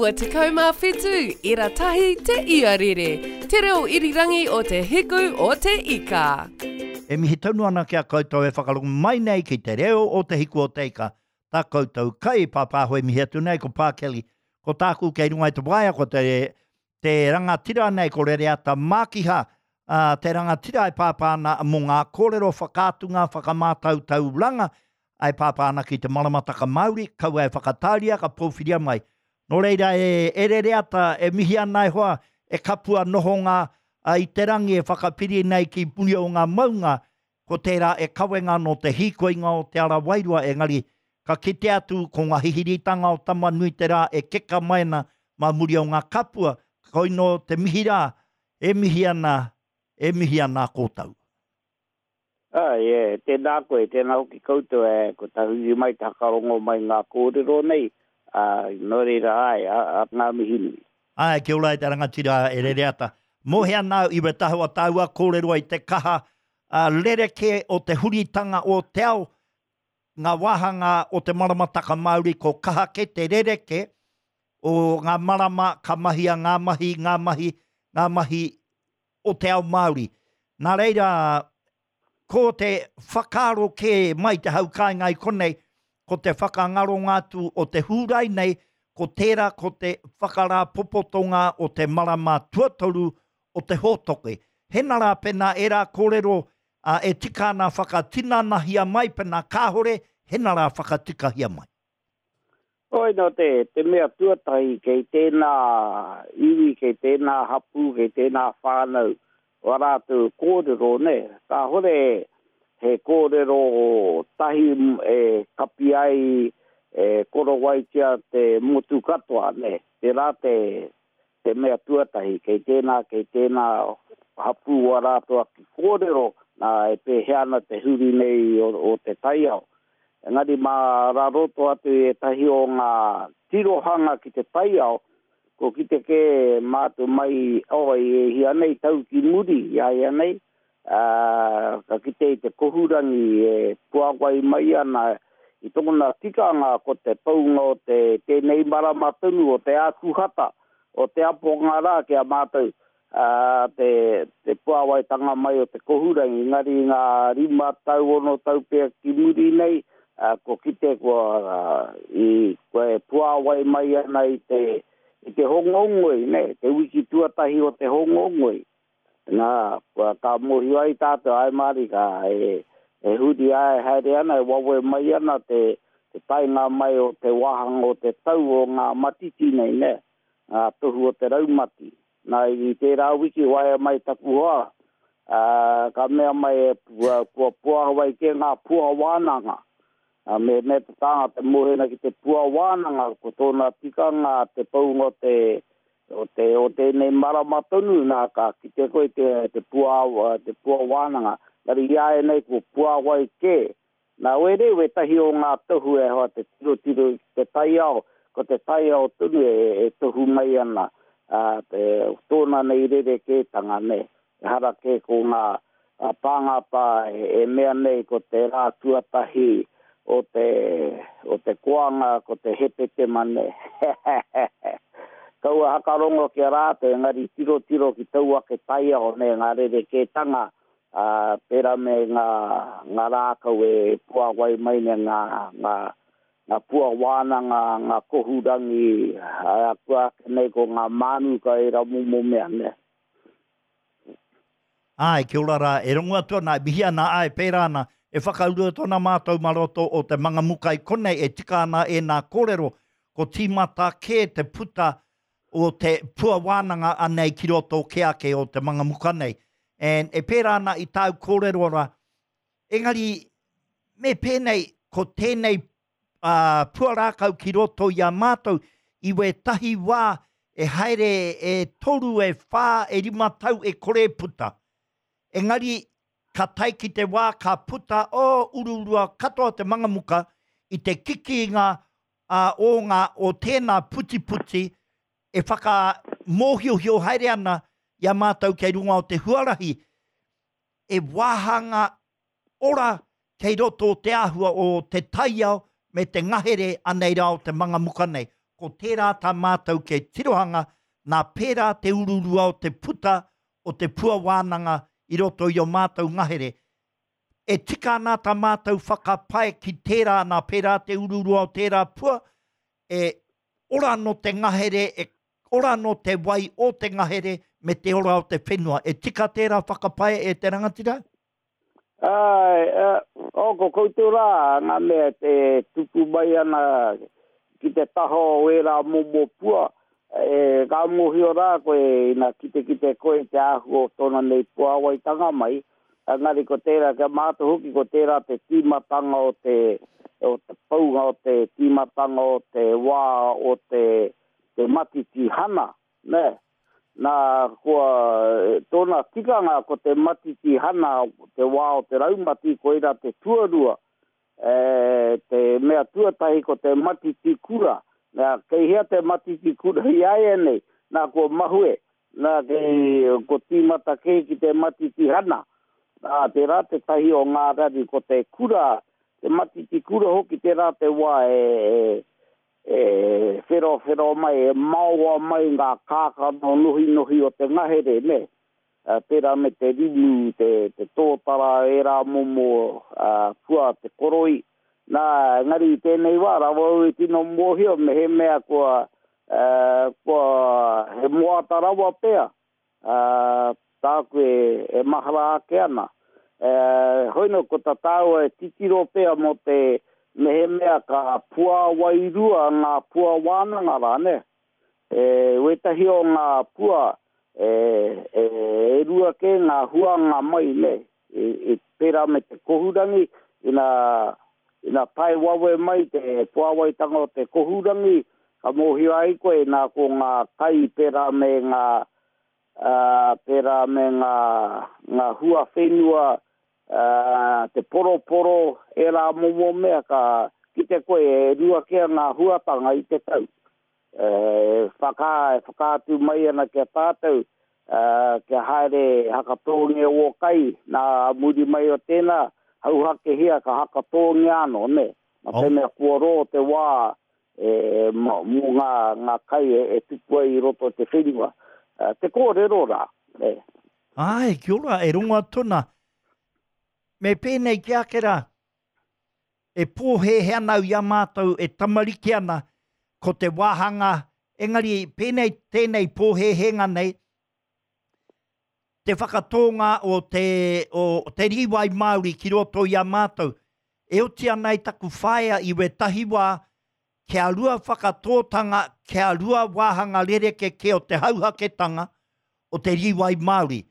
97 ira tahi te iarere, te reo irirangi o te hiku o te ika. E mihi tonu ana ki a koutou e whakarongo mai nei ki te reo o te hiku o te ika. Tā koutou kai pāpāho e mihi atu nei ko Pā Kelly. Ko tāku kei runga i te waea ko te, te rangatira nei ko Rereata Mākiha, ā, te rangatira e pāpā ana mō ngā kōrero whakaatunga whakamātautauranga e pāpā ana ki te maramataka Māori, kaua e whakatāria ka pōwhiria mai. Nō reira e, e Rereata, e mihi ana e hoa, e kapua nohonga i te rangi e whakapiri nei ki muri o ngā maunga, ko tērā e kawenga nō te hīkoinga o te ara wairua, engari ka kite atu ko ngā hihiritanga o Tama-nui-te-rā e keka mai ana mā muri o ngā kapua, koinō te mihi rā, e mihi ana, e mihi ana kōtou. Āe, e, tēnā koe, tēnā hoki koutou, e, ko tahuri mai te hakarongo mai ngā kōrero nei, ā, nō reira, āe, ā, ā, ngā mihi nui. Āe, kia ora e te rangatira e Rereata. Mōhea ana au i wetahawa tāua kōrero ai te kaha rerekē o te huritanga o te ao, ngā wāhanga o te maramataka Māori ko kaha kē te rerekē o ngā marama ka mahia ngā mahi, ngā mahi, ngā mahi o te ao Māori. Nā reira, ko te whakaaro kē mai te hau kāinga i konei, ko te whakangaronga atu o te Hūrai nei, ko tērā ko te whakarāpopotonga o te marama tuatoru o te hōtoke. Hena rā pēnā ērā kōrero e tika ana whakatinanahia mai, pēnā kāhore, hena rā whakatikahia mai. Hoi nō te, te mea tuatahi kei tēnā iwi, kei tēnā hapū, kei tēnā whānau wā rātou kōrero, nē. Kāhore he kōrero tahi e kapi ai, e korowaitia te motu katoa, nē. Tērā te, te mea tuatahi, kei tēnā, kei tēnā hapū wā rātou ake kōrero, nā, e pēhea ana te huri nei o, o te taiao. Engari mā raroto atu i ētahi o ngā tirohanga ki te taiao, kua kite kē mātou mai, oh, i e hia nei tau ki muri i a ia nei, ā, ka kite i te kohurangi e puāwai mai ana i tōna tikanga ko te pounga o te tēnei marama tonu o te Ākuhata, o te aponga rā ki a mātou, ā, te, te puāwaitanga mai o te kohurangi, engari i ngā rima tau, ono tau pea ki muri nei, ā, kua kite kua, i, kua e puāwai mai ana i te, i te Hōngongoi, nē, te wiki tuatahi o te Hōngongoi. Nā, kua, ka mōhio ai tātou, āe mārika, e, e huri āe haere ana, e wawe mai ana te, te taenga mai o te wāhanga o te tau o ngā matiti nei, nē, ngā tohu o te raumati. Nā, i tērā wiki waea mai taku hoa, ā, ka mea mai e, kua puāwai kē ngā pua wānanga. Ā, me mea te tāngata e mōhio ana ki te pua wānanga, ko tōna tikanga te pounga o te, o te, o tēnei marama tonu, nā, ka kite koe te, te pua, te pua wānanga. Engari i āianei kua puāwai kē Nā wērei wētahi o ngā tohu e hoa te tirotiro i te taiao, ko te taiao tonu e tohu mai ana te tōna nei rerekētanga, nē. Ehara kē ko ngā tāngata e mea nei ko te rā tuatahi o te, o te koanga ko te hepetema, nē. Kaua hakarongo ki a rātou, engari tirotiro ki tou ake taiao, nē, ngā rerekētanga ā, pērā me ngā, ngā rākau e puāwai mai nei, ngā, ngā, ngā pua wānanga, ngā kohurangi, ā, kua ake nei ko ngā mānuka ērā momo mea, nē. Āe, kia ora rā, e rongo atu ana, e mihi ana, āe, pērā ana, e whakauru atu ana mātou mā roto o te Mangamuka i konei e tika ana ēnā kōrero, ko tīmata kē te puta o te pua wānanga anei ki roto kē ake o te Mangamuka nei. And e pērā ana i tāu kōrero rā, engari me pēnei, ko tēnei uh, pua rākau ki roto i a mātou, i wētahi wā e haere e toru, e whā, e rima tau e kore e puta. Engari, ka tae ki te wā ka puta, oh, uruurua katoa te Mangamuka i te kikinga ā, o ngā, o tēnā putiputi e whakamōhiohio haere ana i a mātou kei runga o te huarahi, e wāhanga ora kei roto o te āhua o te taiao me te ngahere anei rā o te mangamuka nei. Ko tērā tā mātou kei tirohanga, nā pērā te ururua o te puta o te pua wānanga i roto i ō mātou ngahere. E tika ana tā mātou whakapae ki tērā, nā pērā te ururua o tērā pua, e ora anō te ngahere, e ora anō te wai o te ngahere me te ora o te whenua. E tika tērā whakapae e te rangatira? Āe, oh, ko koutou rā ngā mea e tupu mai ana ki te taha o ērā momo pua, e, ka mōhio rā koe ina kitekite koe i te āhua o tōna nei puāwaitanga mai, engari ko tērā, kia mātou hoki ko tērā te tīmatanga o te, o te paunga o te tīmatanga o te wā o te, te matiti hana, nē. Nā, kua, tōna tikanga ko te matiti hana te wā o te raumati, koirā te tuarua, e, te mea tuatahi ko te matiti kura. Nā, kei hea te matiti kura i āianei? Nā, kua mahue, nā, kei, ko tīmata kē ki te matiti hana. Nā, tērā tētahi o ngā raru, ko te kura, te matiti kura hoki tērā te wā e, e, E wherowhero mai, e maoa mai ngā kākano nohinohi o te ngahere, nē? Pērā me te rimu, te, te tōtara, ērā momo pua, te koroi. Nā, engari i tēnei wā, rawa au i tino mōhio mehemea kua, kua, he moata rawa pea, Ā, tāku e, e mahara ake ana. Ē, hoino ko ta tāua e titiro pea mō te mehemea ka puāwairua ngā pua wānanga rā, nē? E, wētahi o ngā pua, e, e, e rua kē ngā huanga mai, nē? I, i pērā me te kohurangi, ina, ina tae wawe mai te puāwaitanga o te kohurangi, ka mōhio ai koe nā ko ngā kai pērā me ngā, ā, pērā me ngā, ngā hua whenua, ā, te poroporo, ērā momo mea, ka kite koe e rua kē ngā huatanga i te tau. E whaka, e whakaatu mai ana ki a tātou, kia haere hakatōngia ō kai, nā muri mai o tēnā, hauhakehia ka hakatōngia anō, nē? Nā te mea kua rō te wā e, mō ngā, ngā kai e, e tupu ai i roto i te whenua. Te kōrero rā, nē? Āe, kia ora, e rongo atu ana. Me pēnei ki ake rā, E pōhēhē ana au i a mātou e tamariki ana, ko te wāhanga, engari pēnei tēnei pōhēhēnga nei, te whakatōnga o te, o te rīwai Māori ki roto i a mātou. E oti ana i taku whaea i wētahi wā, kia rua whakatōtanga, kia rua wāhanga rerekē kē o te hauhaketanga o te rīwai Māori.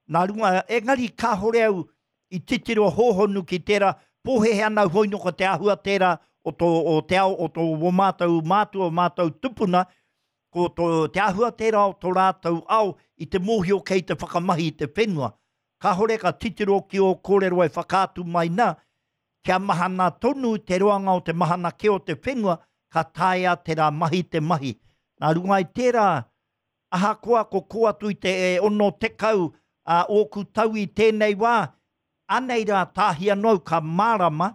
Nā runga, engari kāhore au i titiro hōhonu ki tērā, pōhēhē ana au hoi nō ko te āhua tērā o tō, o te ao o tō wō mātou mātua, o mātou tupuna, ko tō, te āhua tērā o tō rātou ao i te mōhio kei te whakamahi i te whenua. Kāhore ka titiro ki ō kōrero e whakaatu mai nā, kia mahana tonu te roanga o te mahana kē o te whenua, ka taea tērā mahi te mahi. Nā runga i tērā, ahakoa ko kō atu i te 60 a ōku tau i tēnei wā, anei rā tāhi anō au ka mārama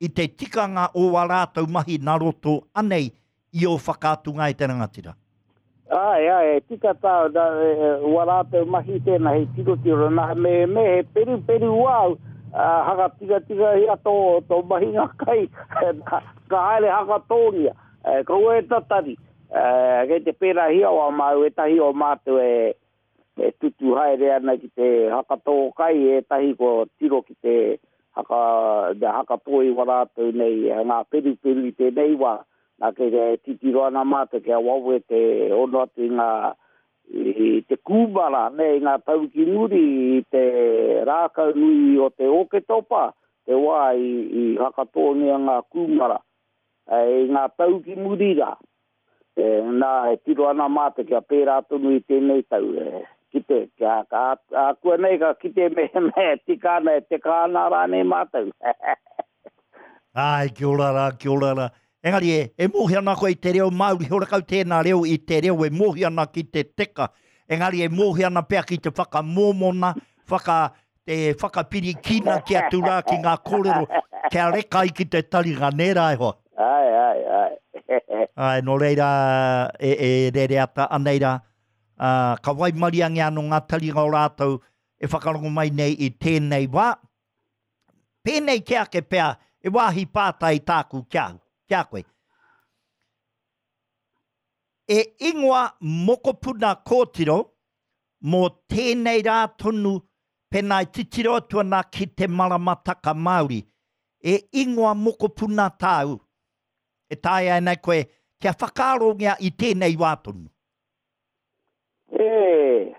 i te tikanga o wā rātou mahi nā roto anei i ō whakaatunga e te rangatira. Āe, āe, e tika tāu, nā, wā rātou mahi tēnā hei tirotiro, nā, me, me he peruperu wāu, ā, haka tikatikahia tō, tō mahinga kai, ka haere hakatōngia, kaua e tatari, kei te pērāhia o a māu, ētahi o mātou e, e tutu haere ana ki te hakatō kai, ētahi kua tiro ki te haka, te hakatō i wā rātou nei, ngā peruperu i tēnei wā, Nā, kei te titiro ana mātou kia wawe te hono atu i ngā, i te kūmara, nē, i ngā tau ki muri i te rākau nui o te Ōketopa, te wā i, i hakatōngia ngā kūmara, i ngā tau ki muri rā. E, nā, e tiro ana mātou kia pērā tonu i tēnei tau, e, kite, kia, ka, ākuanei ka kite mehemea e tika ana, e teka ana rānei mātou. Āe, kia ora rā, kia ora rā. Engari e, e mōhio ana koe i te reo Māori, horekau tēnā reo i te reo e mōhio ana ki te teka. Engari e mōhio ana pea ki te whakamōmona, whaka, te whakapiri kīnaki atu rā ki ngā kōrero, kia reka ai ki te taringa, nē rā e hoa? Āe, āe, āe. Āe, nō reira, e, e Rereata, anei rā, ā, ka waimariangia anō ngā taringa o rātou e whakarongo mai nei i tēnei wā. Pēnei kē ake pea, e wāhi pātai tāku ki a au, ki a koe. E ingoa mokopuna kōtiro mō tēnei rā tonu pēnā e titiro atu ana ki te maramataka Māori. E ingoa mokopuna tāu e taea ana e koe kia whakaarongia i tēnei wā tonu? E,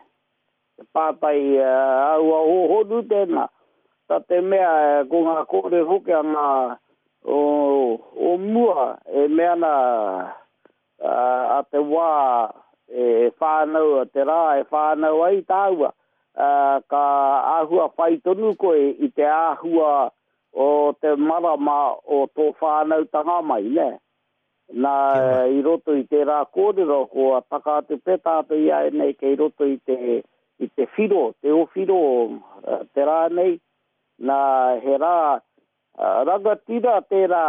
te pātai āhua hōhonu tēnā. Tā te mea ko ngā kōrero hoki a ngā o mua e mea ana a te wā e whānau, te rā e whānau ai tāua, ka āhua whai tonu koe i te āhua o te marama o tō whānautanga mai, nē? Nā, i roto i tērā kōrero, kua taka atu pea tātou i āianei kei roto i te, i te whiro, te owhiro te rā nei, nā, he rā rangatira tērā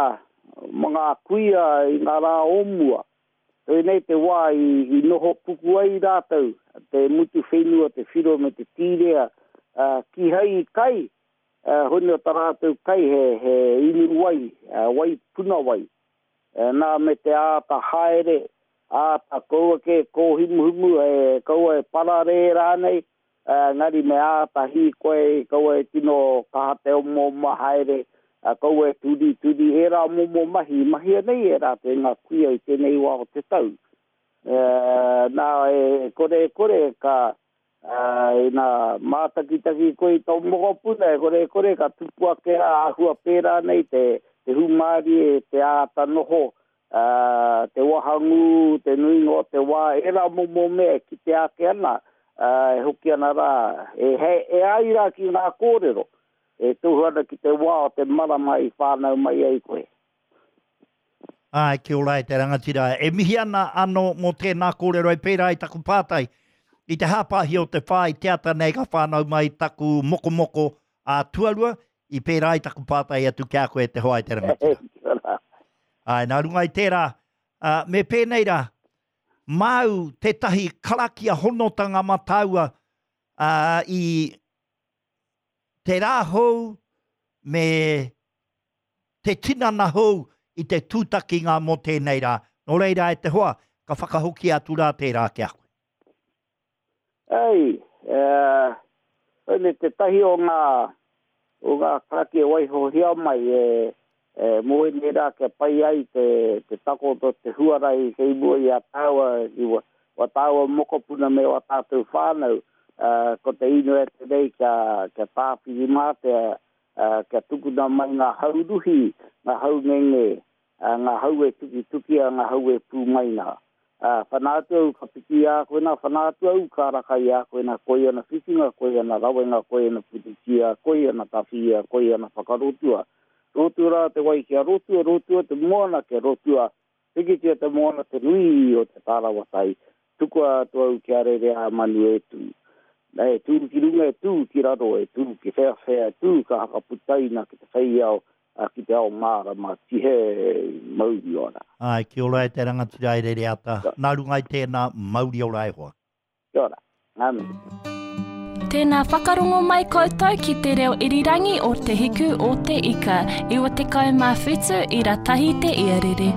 mā ngā kuia i ngā rā o mua. Koinei te wā i, i noho puku ai rātou, te mutu whenua, te whiro me te tīrea, kīhai i kai, honi o tā rātou kai he, he inu wai, wai puna wai. Nā, me te āta haere, āta kaua kē kōhimuhimu, e, kaua e pararē rānei, engari me āta hīkoi, kaua e tino kaha te omaoma haere, kaua e turituri, ērā momo mahi i mahia nei e rātou e ngā kuia i tēnei wā o te tau. Nā, e kore e kore ka, Ā, ina mātakitaki koe i tō mokopuna, e kore e kore ka tupu ake rā āhua pērā nei te, te hūmārie, te āta noho, ā, te wahangū, te nuinga o te wā, ērā momo mea e kitea ake ana, ā, e hoki ana rā, e, he, e ai rā ki ngā kōrero, e tohu ana ki te wā o te marama i whānau mai ai koe. Āe, kia ora e te rangatira. E mihi ana anō mō tēnā kōrero e pērā i taku pātai. I te hāpāhi o te whā i te ata nei ka whānau mai taku mokomoko ā tuarua, i pērā i taku pātai atu ki a koe e te hoa e te rangatira. Kia ora. Āe, nā runga i tērā, ā, me pēnei rā, māu tētahi karakia honotanga mā tāua, ā, i te rā hou me te tinana hou i te tūtakinga mō tēnei rā. Nō reira e te hoa, ka whakahokia atu rā tērā ki a koe. Ei, koinei tētahi o ngā, o ngā karakia e waihohia mai e, e, mō ēnei rā kia pai ai te, te takoto, te huarahi kei mua i a tāua, i wa, wa tāua mokopuna me wā tātou whānau, ko te inoi atu nei kia, kia Tāwhirimātea, ā, kia tukuna mai ngā hau ruhi, ngā hau ngenge, ā, ngā hau e tukitukia, ngā hau e pū mai nā. Ā, whana atu au ka piki i a koe nā, whana atu au ka raka i a koe nā, koi ana whiwhinga, koi ana rawenga, koi ana puritia, koi ana tawhia, koi ana whakarotua. Rotua rā te wai kia rotua, rotua te moana kia rotua, Pikitia te moana te nui o te tārawa tai, tukua atu au kia rere a manu e tū. E tū ki runga, e tū ki raro, e tū ki wheawhea, e tū ka hakaputaina ki te whei ao, ki te ao mārama, tihe mauri ora. Āe, kia ora e te rangatira e Rereata, nā runga i tēnā, mauri ora e hoa. Kia ora. Ngā mihi. Tēnā whakarongo mai koutou ki te reo irirangi o Te Hiku o Te Ika, 97 ira tahi te iarere.